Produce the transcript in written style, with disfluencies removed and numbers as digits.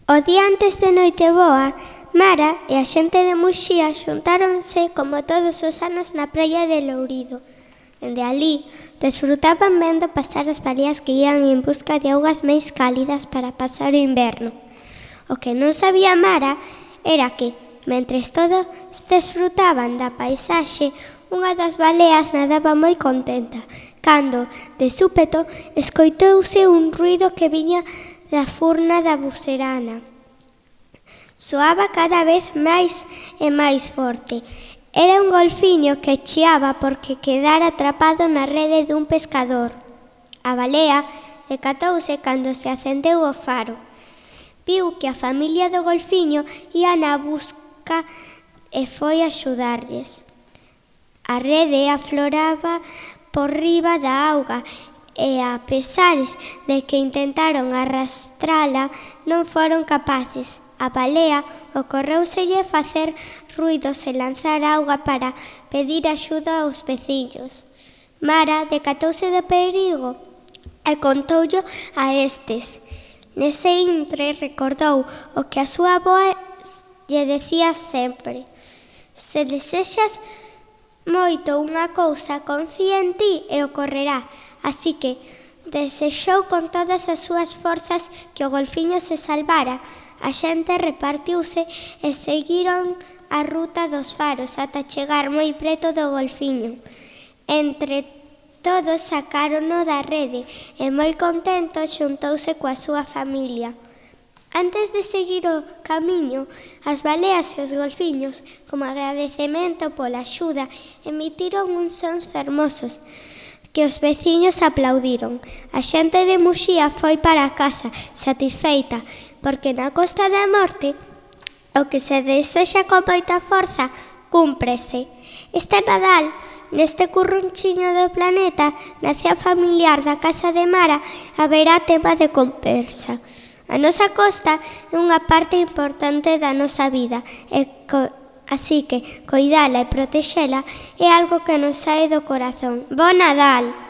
O día antes de Noiteboa, Mara e a xente de Muxía xuntáronse como todos os anos na praia de Lourido. Dende alí, desfrutaban vendo pasar as baleas que ían en busca de augas máis cálidas para pasar o inverno. O que non sabía Mara era que, mentres todos desfrutaban da paisaxe, unha das baleas nadaba moi contenta, cando, de súpeto, escoitouse un ruido que viña da furna da bucerana. Soaba cada vez máis e máis forte. Era un golfiño que chiaba porque quedara atrapado na rede dun pescador. A balea decatouse cando se acendeu o faro. Viu que a familia do golfiño ia na busca e foi axudarlles. A rede afloraba por riba da auga e, a pesar de que intentaron arrastrala, non foron capaces. A balea ocorreuselle facer ruidos e lanzar auga para pedir axuda aos veciños. Mara decatouse do perigo e contoullo a estes. Nese intre recordou o que a súa avoa lle decía sempre: se desexas moito unha cousa, confía en ti e ocorrerá. Así que desexou con todas as súas forzas que o golfiño se salvara. A xente repartiuse e seguiron a ruta dos faros ata chegar moi preto do golfiño. Entre todos sacárono da rede e moi contento xuntouse coa súa familia. Antes de seguir o camiño, as baleas e os golfiños, como agradecemento pola axuda, emitiron uns sons fermosos que os veciños aplaudiron. A xente de Muxía foi para casa satisfeita, porque na Costa da Morte o que se desexa con moita forza cúmprese. Este Nadal, neste currunchiño do planeta, na cea familiar da casa de Mara, haberá tema de conversa. A nosa costa é unha parte importante da nosa vida, así que coidala e protexela é algo que nos sae do corazón. Bo Nadal!